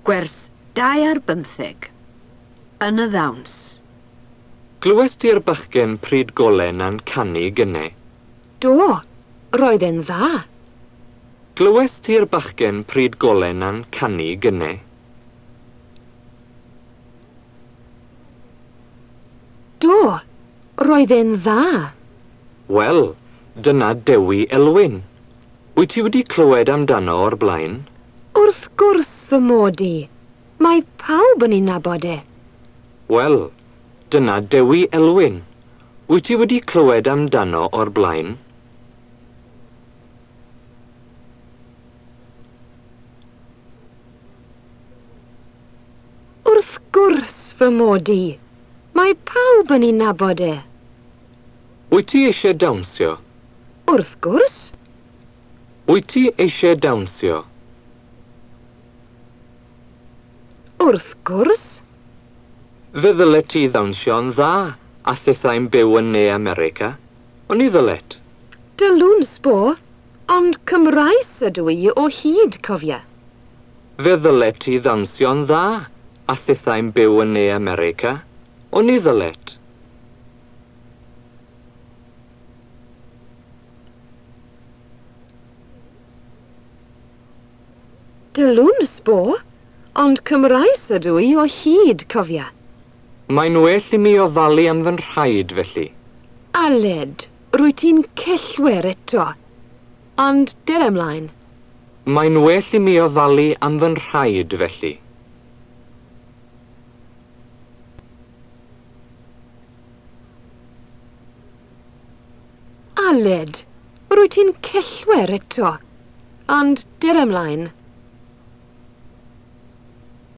Gwers 2 ar 15. Yn y ddawns. Glywes ti'r bachgen pryd golau 'na'n canu gynne? Do, roedd e'n dda. Glywes ti'r bachgen pryd golau 'na'n canu gynne? Do, roedd e'n dda. Wel, dyna Dewi Elwyn. Wyt ti wedi clywed amdano o'r blaen? Wrth gwrs fy mod i. Mae pawb yn ei nabod e. Wel, dyna Dewi Elwyn. Wyt ti wedi clywed amdano o'r blaen? Wrth gwrs fy mod i. Mae pawb yn ei nabod e. Wyt ti eisiau dawnsio? Wrth gwrs. Wyt ti eisiau dawnsio? Wrth gwrs. Fe ddylet ti ddawnsio'n dda a thithau'n byw yn Ne America. Oni ddylet? Dylwn sbo, ond Cymraes ydw i o hyd, cofia. Fe ddylet ti ddawnsio'n dda a thithau'n byw yn Ne America. Oni ddylet? Dylwn sbo, ond Cymraes ydw i o hyd, cofia. Mae'n well i mi ofalu am fy nhraed, felly. Aled, rwy ti'n cellwair eto. Ond dere ymlaen. Mae'n well i mi ofalu am fy nhraed, felly. Aled, rwy ti'n cellwair eto. Ond dere ymlaen.